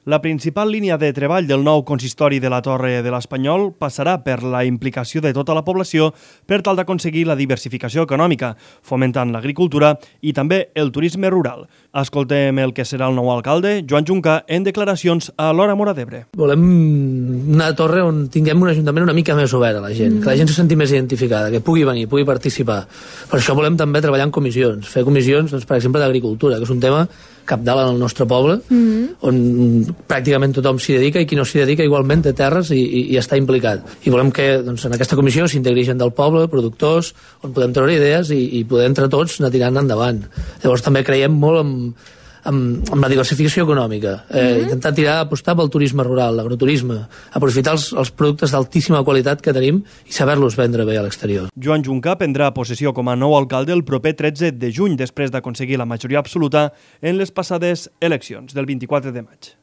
La principal línia de treball del nou consistori de la Torre de l'Espanyol passarà per la implicació de tota la població per tal d'aconseguir la diversificació econòmica, fomentant l'agricultura i també el turisme rural. Escoltem el que serà el nou alcalde, Joan Juncà, en declaracions a l'Hora Móra d'Ebre. Volem una torre on tinguem un ajuntament una mica més obert a la gent, que la gent se senti més identificada, que pugui venir, pugui participar. Per això volem també treballar en comissions, fer comissions, doncs, per exemple, d'agricultura, que és un tema cabdal en el nostre poble, on pràcticament tothom s'hi dedica i qui no s'hi dedica igualment té terres i està implicat. I volem que doncs, en aquesta comissió s'integri gent del poble, productors, on podem treure idees i poder entre tots anar tirant endavant. Llavors també creiem molt amb la diversificació econòmica, intentar apostar pel turisme rural, l'agroturisme, aprofitar els productes d'altíssima qualitat que tenim i saber-los vendre bé a l'exterior. Joan Juncà prendrà possessió com a nou alcalde el proper 13 de juny, després d'aconseguir la majoria absoluta en les passades eleccions del 24 de maig.